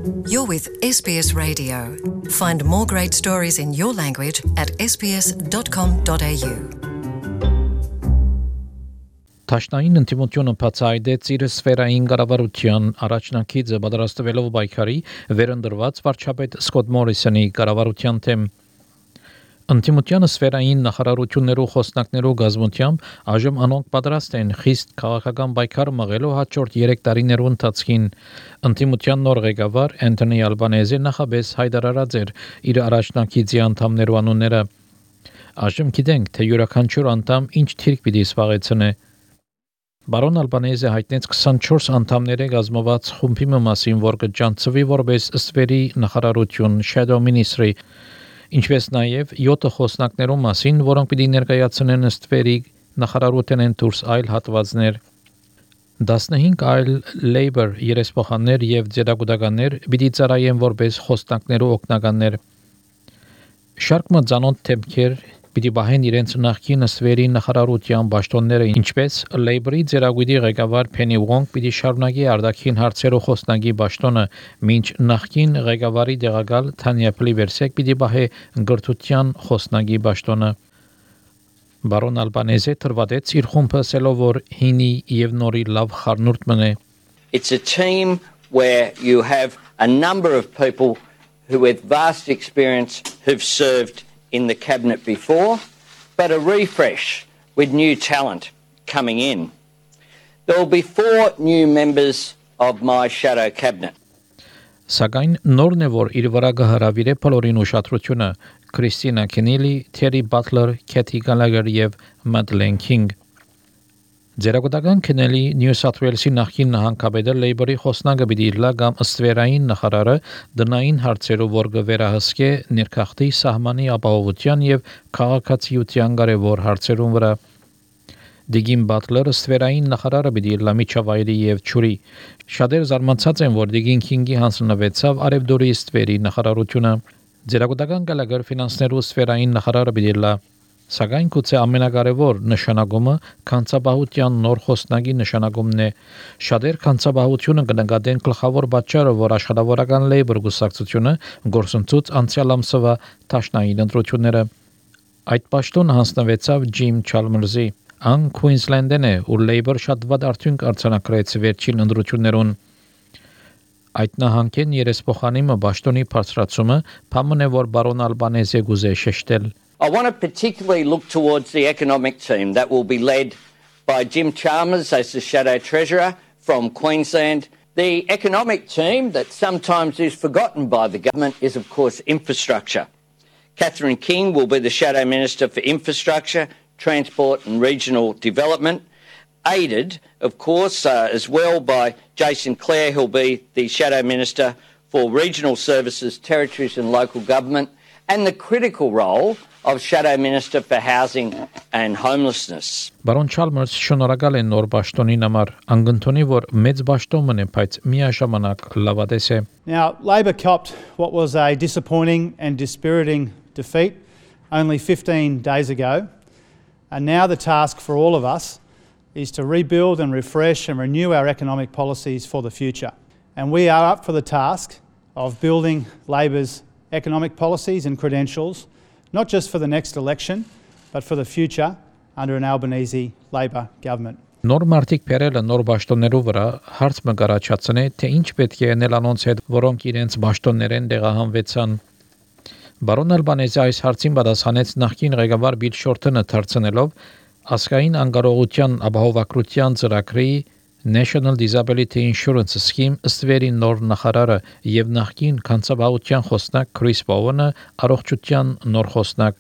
You're with SBS Radio. Find more great stories in your language at sbs.com.au. Տաշնային ինտիմությունը բացահայտեց իր սֆերային կառավարության առաջնակիցը պատրաստվելով պայքարի վերընտրված վարչապետ Սկոտ Մորիսոնի կառավարության թեմ։ Ինտիմության սֆերային նախարարություններու խոսնակներու գազམ-ությամբ այժմ անոնք պատրաստ են խիստ քաղաքական պայքար մղելու հաջորդ 3 տարիներու ընթացքին։ Ինտիմության նոր ղեկավար Անթոնի Ալբանեզը նախաբես հայտարարած էր իր առաջնակիցի անդամներու անունները։ Այժմ գիտենք, թե յուրաքանչյուր անդամ ինչ թիրք պիտի զբաղեցնե։ Բարոն Ալբանեզը հայտնեց 24 անդամների գազմված խումբի մասին, որ կջանցվի որպես ստվերի նախարարություն Shadow Ministry, ինչպես նաև 7 խոսնակներու մասին, որոնք պիտի ներկայացնեն ստվերի նախարարութենեն դուրս այլ հատվածներ։ 15 այլ Labour երեսփոխաններ եւ ձերագուտականներ պիտի ծառայեն որպես խոսնակներու օգնականներ։ Շարք մծանոթ թեմքեր պիտի բահեն իրենց նախկին ստվերի նախարարության պաշտոնները, ինչպես Labour-ի ձերագույդի ղեկավար Penny Wong պիտի շարունակի արտաքին հարցերով խոսնակի պաշտոնը, մինչ նախկին ղեկավարի տեղակալ Թանյա Պլիվերսեկ պիտի բահե գրթության խոսնակի պաշտոնը։ Բարոն Ալբանեզը թրվատեց իր խումբը ասելով, որ հինի եւ նորի լավ խառնուրդ մնե։ It's a team where you have a number of people who with vast experience who've served in the cabinet before, but a refresh with new talent coming in. There will be 4 new members of my shadow cabinet. Սակայն նորն է, որ իր վրա կհրավիրե բոլորին ուշադրությունը Քրիստինա Քենիլի, Թերի Բատլեր, Քեթի Գալագեր եւ Մադլեն Քինգ։ Ձերագուտական Քենելի Նյու Սաթ Ուելսի նախկին նահանգապետը Labour-ի խոսնակը պիտի իլա կամ ստվերային նախարարը դնային հարցերով որ կվերահսկե ներքախտի սահմանի ապահովության եւ քաղաքացիության կարևոր հարցերուն վրա։ Դիգին Բատլերը ստվերային նախարարը պիտի իլա միջավայրի եւ ճուրի։ Շատեր զարմացած են, որ Դիգին Քինգի հանձնվեցավ արևդուրի ստվերի նախարարությունը։ Ձերագուտական Գալագեր ֆինանսներու ստվերային նախարարը պիտի իլա։ Սակայն գուցե ամենակարևոր նշանակումը կանցաբահության նոր խոսնակի նշանակումն է։ Շատեր կանցաբահությունը կնկատեն գլխավոր պատճառը, որ աշխատավորական Labour գուսակցությունը գործընծուց անցյալ ամսվա տաշնային ընտրությունները։ Այդ պաշտոնը հանձնվեցավ Ջիմ Չալմերսի։ Ան Քուինսլենդն է, ու Labour շատ վատ արդյունք արձանագրեց վերջին ընտրություններուն։ Այդ նահանգեն երեսփոխանիմը պաշտոնի բարձրացումը փամն է, որ բարոն Ալբանեզը գուզե շեշտել։ I want to particularly look towards the economic team that will be led by Jim Chalmers as the Shadow Treasurer from Queensland. The economic team that sometimes is forgotten by the government is, of course, infrastructure. Catherine King will be the Shadow Minister for Infrastructure, Transport and Regional Development, aided, of course, as well by Jason Clare, who'll be the Shadow Minister for Regional Services, Territories and Local Government, and the critical role of Shadow Minister for Housing and Homelessness. Բարոն Չալմերս շնորհակալ է նոր պաշտոնին համար, անգընթոնի որ մեծ պաշտոն մնե, բայց միաժամանակ լավատես է։ Now, Labor copped what was a disappointing and dispiriting defeat only 15 days ago, and now the task for all of us is to rebuild and refresh and renew our economic policies for the future. And we are up for the task of building Labor's economic policies and credentials, not just for the next election, but for the future under an Albanese Labor government. Նոր մարտիկ փերելը նոր պաշտոններով վրա հարց մը կարաչացնե, թե ինչ պետք է անել անոնց հետ, որոնք իրենց պաշտոններեն տեղահանվեցան։ Բարոն Ալբանեզը այս հարցին պատասխանեց նախկին ղեկավար Բիլ Շորթոնը դարձնելով ազգային անկարողության ապահովագրության ծրագրի National Disability Insurance Scheme ստվերի նոր նախարարը եւ նախկին կանցաբահության խոսնակ Քրիս Բովոնը առողջության նոր խոսնակ։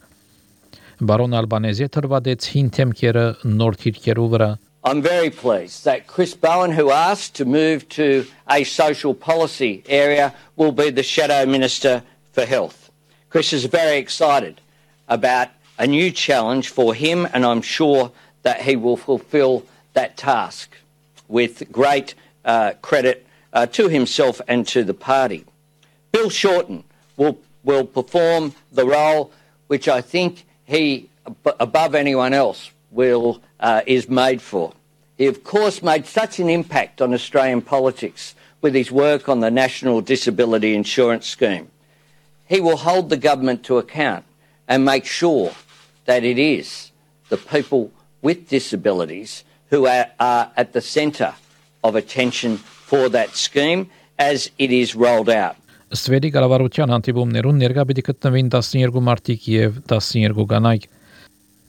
Բարոն Ալբանեզը թրվադեց հին թեմքերը նոր թիրքերու վրա։ I'm very pleased that Chris Bowen, who asked to move to a social policy area, will be the Shadow Minister for Health. Chris is very excited about a new challenge for him, and I'm sure that he will fulfil that task with great credit to himself and to the party. Bill Shorten will perform the role which I think he, above anyone else, is made for. He, of course, made such an impact on Australian politics with his work on the National Disability Insurance Scheme. He will hold the government to account and make sure that it is the people with disabilities who are at the centre of attention for that scheme as it is rolled out. Ստվերի կառավարության հանդիպումներուն ներկա պիտի գտնվին 12 մարտիկ եւ 12 կանայք։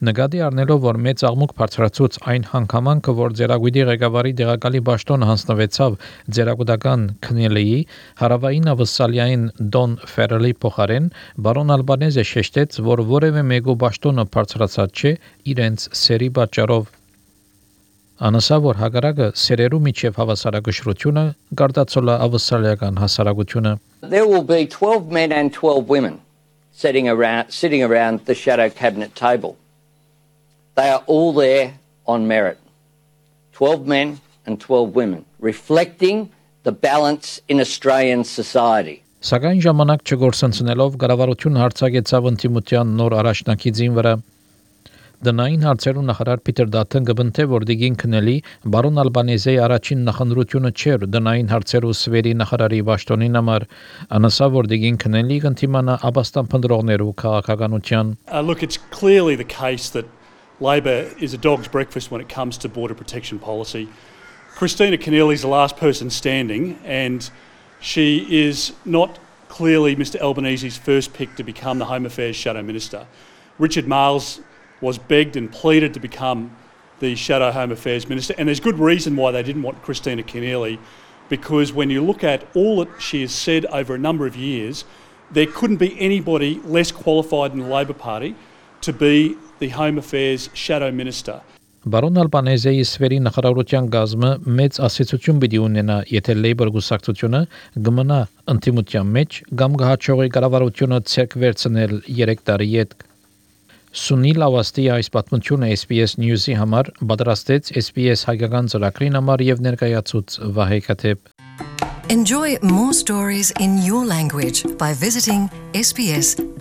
Նկատի առնելով, որ մեծ աղմուկ բարձրացուց այն հանգամանքը, որ ձերագույդի ղեկավարի դեղակալի պաշտոնը հանձնվեցավ ձերագուտական քնելիի հարավային ավստրալիային Դոն Ֆերելի փոխարեն, բարոն Ալբանեզը շեշտեց, որ որևէ մեկու պաշտոնը բարձրացած չէ իրենց սերի պատճառով։ Անասա որ հագարակը սերերու միջև հավասարակշռությունը գարտացոլա ավստրալիական հասարակությունը։ There will be 12 men and 12 women sitting around the shadow cabinet table. They are all there on merit. 12 men and 12 women, reflecting the balance in Australian society. Սակայն ժամանակ չգործընծնելով կառավարությունը հարձակեցավ ընդդիմության նոր առաջնակիցին վրա։ Դնային հարցերու նախարար Պիտեր Դաթեն գտնթե որ դիգին քնելի բարոն Ալբանեզեի առաջին նախընտրությունը չէր դնային հարցերու սվերի նախարարի պաշտոնին համար անասա որ դիգին քնելի կընթիմանա աբաստան փնդրողներու քաղաքականության Look, it's clearly the case that Labor is a dog's breakfast when it comes to border protection policy. Christina Keneally is the last person standing and she is not clearly Mr Albanese's first pick to become the Home Affairs Shadow Minister. Richard Marles was begged and pleaded to become the Shadow Home Affairs Minister, and there's good reason why they didn't want Christina Keneally, because when you look at all that she has said over a number of years, there couldn't be anybody less qualified in the Labor Party to be the Home Affairs Shadow Minister. Բարոն Ալբանեզեի սվերի նախարարության գազմը մեծ ասացություն պիտի ունենա, եթե Labour գուսակցությունը գմնա ընդդիմության մեջ կամ գահաճողի կառավարությունը ցերկ վերցնել 3 տարի յետք։ Սունիլ Ավաստի այս պատմությունը SBS News-ի համար պատրաստեց SBS հայկական ծրագրին համար եւ ներկայացուց Վահե Քաթեփ Enjoy more stories in your language by visiting sbs.com.au